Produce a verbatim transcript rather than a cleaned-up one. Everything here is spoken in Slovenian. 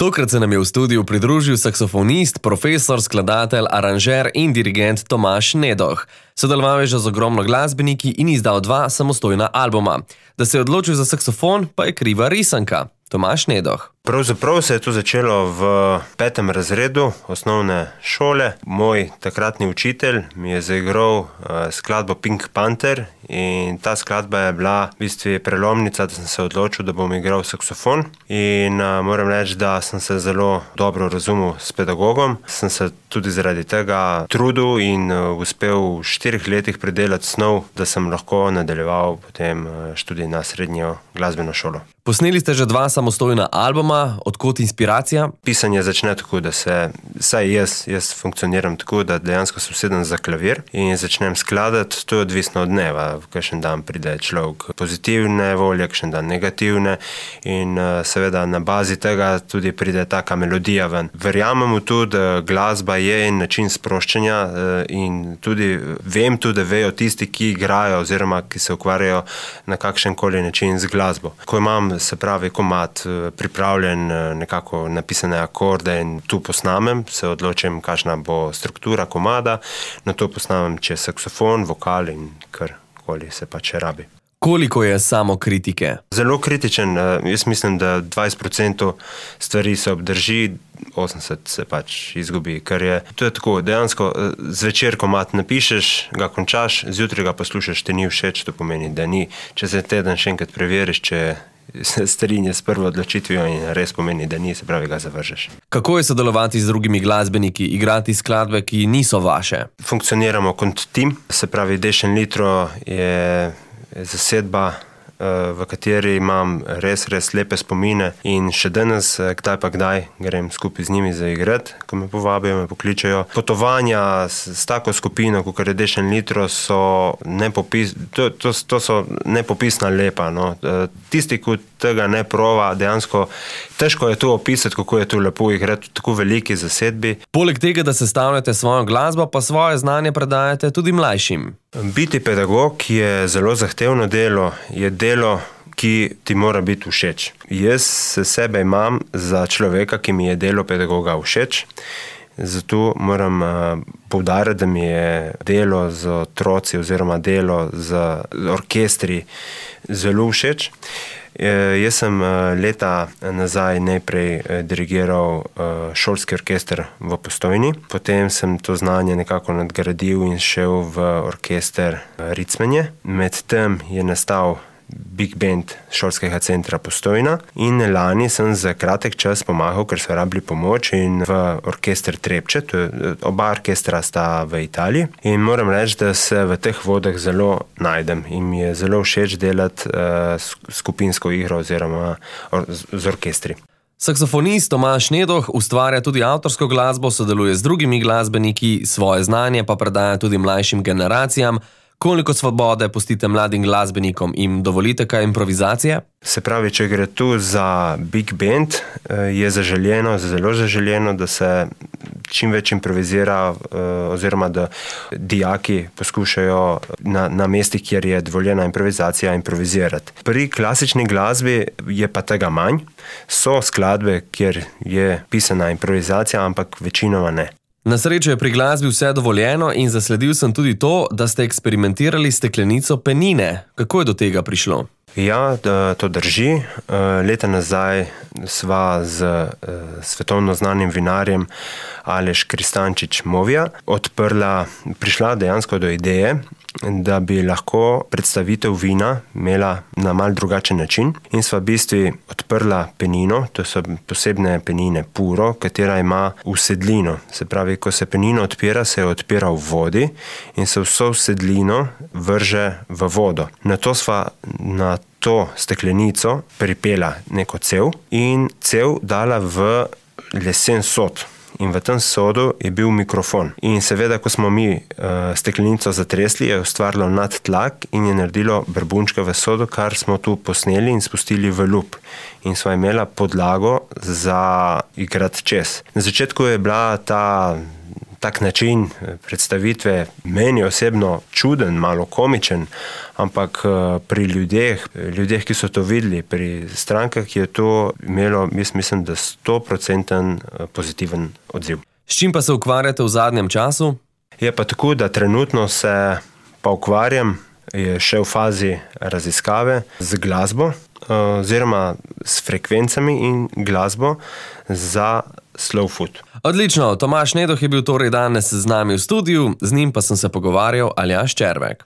Tokrat se nam je v studiu pridružil saksofonist, profesor, skladatelj, aranžer in dirigent Tomaž Nedoh. Sodeloval je že z ogromno glasbeniki in izdal dva samostojna albuma. Da se je odločil za saksofon, pa je kriva risanka. Tomaž Nedoh. Pravzaprav se je to začelo v petem razredu osnovne šole. Moj takratni učitelj mi je zaigral skladbo Pink Panther in ta skladba je bila v bistvu prelomnica, da sem se odločil, da bom igral saksofon. In moram reči, da sem se zelo dobro razumel s pedagogom. Sem se tudi zaradi tega trudil in uspel v štirih letih predelati snov, da sem lahko nadaljeval potem študij na srednjo glasbeno šolo. Posneli ste že dva samostojna albuma, odkot inspiracija? Pisanje začne tako, da se, saj jaz, jaz funkcioniram tako, da dejansko se usedem za klavir in začnem skladati. To je odvisno od dneva. V kakšen dan pride človek pozitivne volje, kakšen dan negativne in seveda na bazi tega tudi pride taka melodija ven. Verjamem v to, da glasba je način sproščanja in tudi vem tudi, da vejo tisti, ki igrajo oziroma ki se ukvarjajo na kakšen koli način z glasbo. Ko imam, se pravi, komad pripravljen, nekako napisane akorde in tu posnamem, se odločim, kakšna bo struktura komada, na to posnamem čez saksofon, vokal in karkoli se pač rabi. Koliko je samokritike? Zelo kritičen. Jaz mislim, da dvajset procentov stvari se obdrži, osemdeset se pač izgubi, ker je, to je tako, dejansko zvečer komad napišeš, ga končaš, zjutraj ga poslušaš, te ni všeč, to pomeni, da ni. Če se teden še enkrat preveriš, če se strinja s prvo odločitvijo in res pomeni, da ni, se pravi, ga zavržeš. Kako je sodelovati z drugimi glasbeniki, igrati skladbe, ki niso vaše? Funkcioniramo kot tim, se pravi, Dešen Litro je zasedba, v kateri imam res, res lepe spomine in še danes, kdaj pa kdaj, grem skupaj z njimi zaigrati, ko me povabijo, me pokličajo. Potovanja s, s tako skupino, kot je Dešen Litro, so, nepopis, to, to, to so nepopisna lepa. No. Tisti, ki tega ne prova, dejansko težko je to opisati, kako je to lepo igrati v tako veliki zasedbi. Poleg tega, da sestavljate svojo glasbo, pa svoje znanje predajate tudi mlajšim. Biti pedagog je zelo zahtevno delo, je delo, ki ti mora biti všeč. Jaz se sebe imam za človeka, ki mi je delo pedagoga všeč, zato moram poudariti, da mi je delo z otroci oziroma delo z orkestri zelo všeč. Jaz sem leta nazaj najprej dirigiral šolski orkester v Postojni, potem sem to znanje nekako nadgradil in šel v orkester Ricmenje. Medtem je nastal Big Band šolskega centra Postojna in lani sem za kratek čas pomagal, ker so rabili pomoč in v orkester Trepče, to je, oba orkestra sta v Italiji in moram reči, da se v teh vodah zelo najdem in mi je zelo všeč delati uh, skupinsko igro oziroma or, z orkestri. Saksofonist Tomaž Nedoh ustvarja tudi avtorsko glasbo, sodeluje z drugimi glasbeniki, svoje znanje pa predaja tudi mlajšim generacijam. Koliko svobode pustite mladim glasbenikom in dovolite kaj improvizacije? Se pravi, če gre tu za Big Band, je zaželjeno, zelo zaželjeno, da se čim več improvizira oziroma da dijaki poskušajo na, na mestih, kjer je dovoljena improvizacija, improvizirati. Pri klasični glasbi je pa tega manj. So skladbe, kjer je pisana improvizacija, ampak večinoma ne. Na srečo je pri glasbi vse dovoljeno in zasledil sem tudi to, da ste eksperimentirali s steklenico penine. Kako je do tega prišlo? Ja, to drži. Leta nazaj sva z svetovno znanim vinarjem Aleš Kristančič Movija odprla, prišla dejansko do ideje, da bi lahko predstavitev vina imela na mal drugačen način in sva v bistvu odprla penino, to so posebne penine puro, katera ima usedlino. Se pravi, ko se penino odpira, se odpira v vodi in se vso usedlino vrže v vodo. Nato sva na to steklenico pripela neko cev in cev dala v lesen sod. In v tem sodu je bil mikrofon. In seveda, ko smo mi uh, steklenico zatresli, je ustvarilo nadtlak in je naredilo brbunčke v sodu, kar smo tu posneli in spustili v lup. In sva imela podlago za igrati čez. Na začetku je bila ta tak način predstavitve meni osebno čuden, malo komičen, ampak pri ljudeh, ljudeh, ki so to videli, pri strankah je to imelo, jaz mislim, da sto procentov pozitiven odziv. S čim pa se ukvarjate v zadnjem času? Je pa tako, da trenutno se pa ukvarjam, je še v fazi raziskave z glasbo, oziroma s frekvencami in glasbo za slow food. Odlično, Tomaž Nedoh je bil torej danes z nami v studiu, z njim pa sem se pogovarjal Aljaž Červek.